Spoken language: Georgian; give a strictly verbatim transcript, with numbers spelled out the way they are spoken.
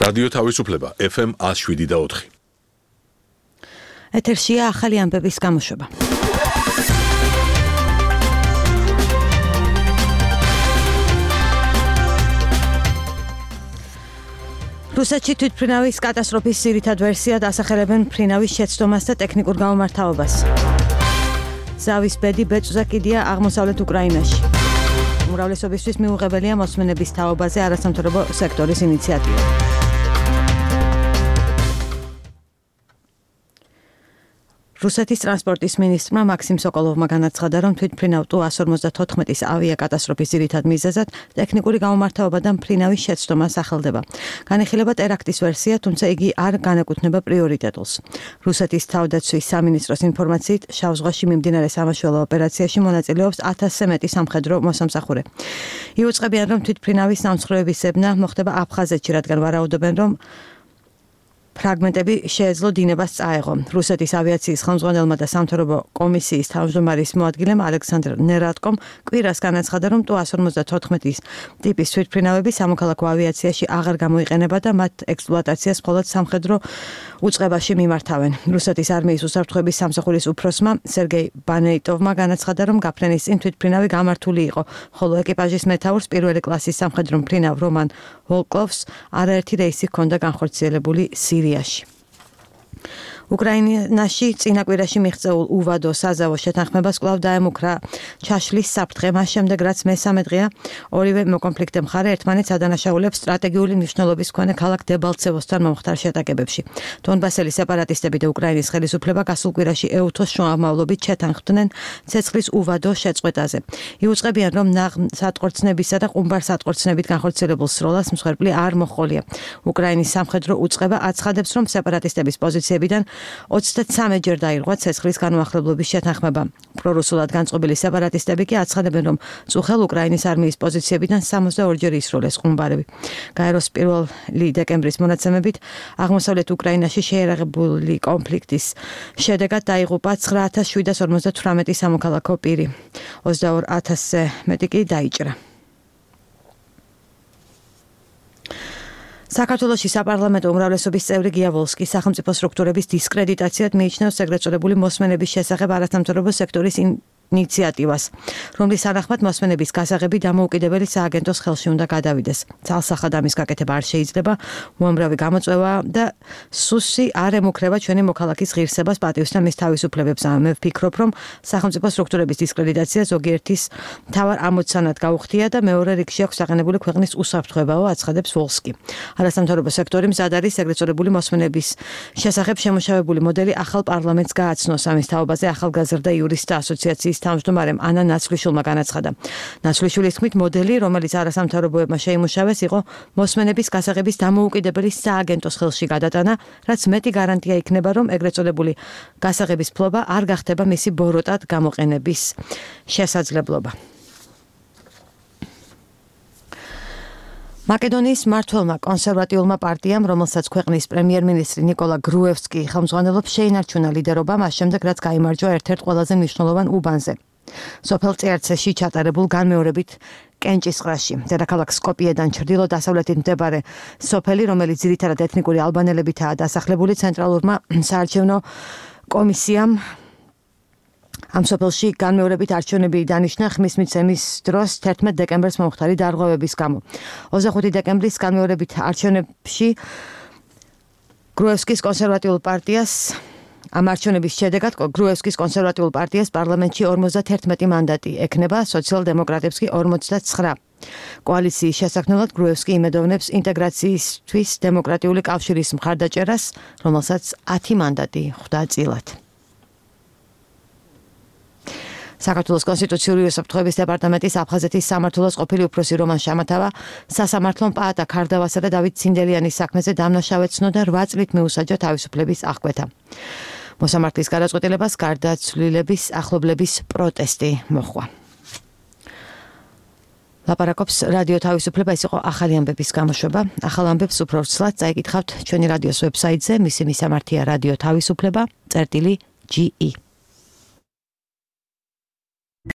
რადიო თავისუფლება F M one oh seven და four. ეთერშია ახალი ამბების გამოშვება. რუსეთში თვითმფრინავის კატასტროფის ძირითად ვერსიად ასახელებენ მფრინავის შეცდომას და ტექნიკურ გამომართაობას. ზავის ბედი ბეწვზე კიდია აღმოსავლეთ უკრაინაში. უმრავლესობისთვის მიუღებელია მოსმენების თაობაზე არასამთავრობო სექტორის ინიციატივა. რუსეთის ტრანსპორტის მინისტრმა მაქსიმ სოკოლოვმა განაცხადა, რომ თვითმფრინავ ტუ one forty-four-ის ავიაკატასტროფის ძირითად მიზეზად ტექნიკური გამომართაობა და მფრინავის შეცდომა სახელდება. განიხილება ტერაქტის ვერსია, თუმცა იგი არ განეკუთვნება პრიორიტეტულს. რუსეთის თავდაცვის სამინისტროს ინფორმაციით, შავ ზღვაში მიმდინარე სამაშველო ოპერაციაში მონაწილეობს ათასზე მეტი სამხედრო მოსამსახურე. იუწყებიან, რომ თვითმფრინავის სამსხვრევების ზებნა მოხდება აფხაზეთში, რადგან ვარაუდობენ, რომ ფრაგმენტები შეეძლო დინებას წაეღო. რუსეთის ავიაციის ხელმძღვანელმა და სამთავრობო კომისიის თავმჯდომარის მოადგილემ ალექსანდრ ნერატკომ კვირას განაცხადა, რომ ტუ one forty-four-ის ტიპის თვითმფრინავები სამოქალაქო ავიაციაში აღარ გამოიყენება და მათ ექსპლუატაციას მხოლოდ სამხედრო უწყებაში მიმართავენ. რუსეთის არმიის უსაფრთხოების სამსახურის უფროსმა სერგეი ბანეიტოვმა განაცხადა, რომ გაფრენის წინ თვითმფრინავი გამართული იყო, ხოლო ეკიპაჟის მეთაურს პირველი კლასის სამხედრო მფრინავ რომან ვოლკოვს არაერთი რეისი ჰქონდა განხორციელებული სირიაში. უკრაინაში წინა კვირაში მიღწეულ უვადო საზავო შეთანხმებას კვლავ დაემუქრა ჩაშლის საფრთხე, მას შემდეგ რაც მესამე დღეა ორივე მოკონფლიქტე მხარე ერთმანეთს ადანაშაულებს სტრატეგიული მნიშვნელობის მქონე ქალაქ დებალცევოსთან მომხდარ შეტაკებებში. დონბასელი სეპარატისტები და უკრაინის ხელისუფლება გასულ კვირაში ეუთოს შუამავლობით შეთანხმდნენ ცეცხლის უვადო შეწყვეტაზე. იუწყებიან, რომ ნაღმსატყორცნებისა და ყუმბარსატყორცნებით განხორციელებულ სროლას მსხვერპლი არ მოჰყოლია. უკრაინის სამხედრო უწყება აცხადებს, რომ სეპარატისტების პოზიციებიდან ოცდათრე ჯერ დაირღვა ცეცხლის განუახლებლობის შეთანხმება. პრორუსულად განწყობილი სეპარატისტები კი აცხადებენ, რომ წუხელ უკრაინის არმიის პოზიციებიდან სამოცდაორი ჯერ ისროლეს ყუმბარები. გაეროს პირველი დეკემბრის მონაცემებით აღმოსავლეთ უკრაინაში შეერაღებული კონფლიქტის შედეგად დაიღუპა ცხრა ათას შვიდას ორმოცდათვრამეტი სამოქალაქო პირი. ოცდაორ ათასზე მეტი კი დაიჭრა. საქართველოში საპარლამენტო უმრავლესობის წევრი გია ვოლსკი სახელმწიფო სტრუქტურების დისკრედიტაციად მიიჩნევს ეგრეთ წოდებული მოსმენების შესახებ არასამთავრობო სექტორის ინიციატივას, რომლის თანახმად მოსმენების გასაღები დამოუკიდებელი სააგენტოს ხელში უნდა გადავიდეს. ცალსახად ამის გაკეთება არ შეიძლება, უამრავი გამოწვევა და სუსი არ ემუქრება ჩვენი მოქალაქის ღირსებას, პატივს და მის თავისუფლებებს. მე ვფიქრობ, რომ სახელმწიფო სტრუქტურების დისკრედიტაცია ზოგიერთის მთავარ ამოცანად გაუხდია და მეორე რიგში აქვს საყენებული ქვეყნის უსაფრთხოებაო, აცხადებს ვოლსკი. არასამთავრობო სექტორი მზად არის ეგრეთ წოდებული მოსმენების შესახებ შემუშავებული მოდელი ახალ პარლამენტს გააცნოს. ამის თაობაზე ახალგაზრდა იურისტთა ასოციაციის თავმჯდომარემ ანა ნაცვლიშვილმა განაცხადა. ნაცვლიშვილის თქმით, მოდელი, რომელიც არასამთავრობოებმა შეიმუშავეს, იყო მოსმენების გასაღების დამოუკიდებელი სააგენტოს ხელში გადატანა, რაც მეტი გარანტია იქნება, რომ ეგრეთ წოდებული გასაღების ფლობა არ გახდება მისი ბოროტად გამოყენების შესაძლებლობა. მაკედონიის მმართველმა კონსერვატიულმა პარტიამ, რომელსაც ქვეყნის პრემიერ-მინისტრი ნიკოლა გრუევსკი ხელმძღვანელობს, შეინარჩუნა ლიდერობა მას შემდეგ, რაც გაიმარჯვა ერთ-ერთ ყველაზე მნიშვნელოვან უბანზე. სოფელ წერცეში ჩატარებულ განმეორებით კენჭისყრაში. დედაქალაქ სკოპიედან ჩრდილო-დასავლეთით მდებარე სოფელი, რომელიც ძირითადად ეთნიკური ალბანელებითაა დასახლებული, ცენტრალურმა საარჩევნო კომისიამ ამ სოფელში განმეორებით არჩევნები დანიშნა ხმის მიცემის დროს თერთმეტ დეკემბერს მომხდარი დარღვევების გამო. ოცდახუთი დეკემბრის განმეორებით არჩევნებში გრუევსკის კონსერვატიულ პარტიას ამ არჩევნების შედეგად გრუევსკის კონსერვატიულ პარტიას პარლამენტში ორმოცდათერთმეტი მანდატი ექნება, სოციალ-დემოკრატებს კი ორმოცდაცხრა. კოალიციის შესაქმნელად გრუევსკი იმედოვნებს ინტეგრაციისთვის დემოკრატიული კავშირის მხარდაჭერას, რომელსაც ათი მანდატი ხვდა წილად. საქართველოს კონსტიტუციური უსაფრთხოების დეპარტამენტის აფხაზეთის სამმართველოს ყოფილი უფროსი რომან შამათავა სასამართლომ პაატა ქარდავასა და დავით ცინდელიანის საქმეზე დამნაშავედ ცნო და რვა წლით მიუსაჯა თავისუფლების აღკვეთა. მოსამართლის გადაწყვეტილებას გარდაცვლილების ახლობლების პროტესტი მოჰყვა. ლაპარაკობს რადიო თავისუფლება, ეს იყო ახალი ამბების გამოშვება. ახალ ამბებს უფრო ვრცლად წაიკითხავთ ჩვენი რადიოს ვებსაიტზე, მისი მისამართია რადიო თავისუფლება წერტილი ჯი ი.